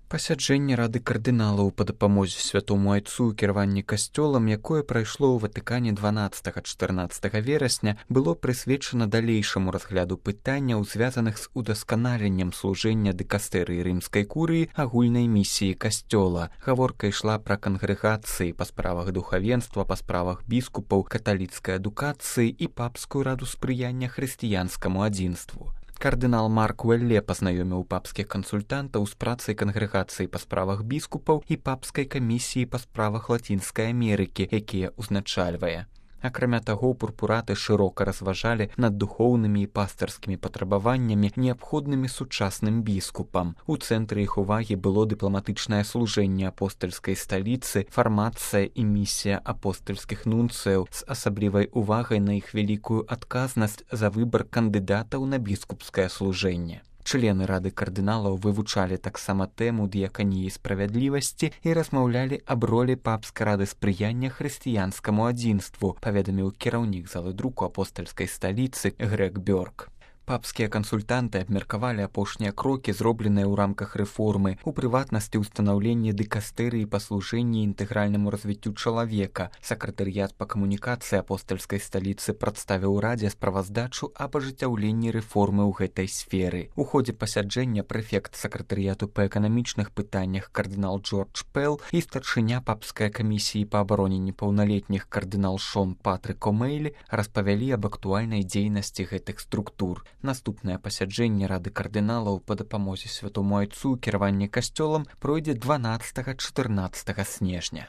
Пасяджэнне рады кардыналаў па дапамозе святому айцу ў кіраванні касцёлам, якое прайшло ў Ватыкане 12-14 верасня, было прысвечана далейшаму разгляду пытанняў, звязаных з удасканаленнем служэння дыкастэрыі рымскай курыі агульнай місіі касцёла. Гаворка ішла пра кангрэгацыі па справах духавенства, па справах біскупаў, каталіцкай адукацыі і папскую раду спрыяння хрысціянскаму адзінству. Кардынал Марк Уэлле пазнаёміў папскіх кансультантаў з працай кангрэгацыі па справах біскупаў і папскай камісіі па справах Лацінскай Амерыкі, якія ўзначальвае. Акрамя таго, пурпураты шырока разважалі над духоўнымі і пастырскімі патрабаваннямі, неабходнымі сучасным біскупам. У цэнтры іх увагі было дыпламатычнае служэнне апостальскай сталіцы, фармацыя і місія апостальскіх нунцыяў з асаблівай увагай на іх вялікую адказнасць за выбар кандыдатаў на біскупскае служэнне. Члены рады кардыналаў вывучалі таксама тэму дыяканіі справядлівасці і размаўлялі аб ролі папскай рады спрыяння хрысціянскаму адзінству, паведаміў кіраўнік залы друку апостальскай сталіцы Грег Бёрк. Папскія кансультанты абмеркавалі апошнія крокі, зробленыя ў рамках рэформы, у прыватнасці ўстанаўленні дыкастэрыі па служэнні інтэгральнаму развіццю чалавека. Сакратарыят па камунікацыі апостальскай сталіцы прадставіў радзе справаздачу аб ажыццяўленні рэформы ў гэтай сферы. У ходзе пасяджэння прэфект сакратарыяту па эканамічных пытаннях кардынал Джордж Пэл і старшыня папскай камісіі па абароне непаўналетніх кардынал Шон Патрык О'Мейлі распавялі аб актуальнай дзейнасці гэтых структур. Наступнае пасяджэнне рады кардыналаў па дапамозе святому айцу ў кіраванні касцёлам пройдзе 12-14 снежня.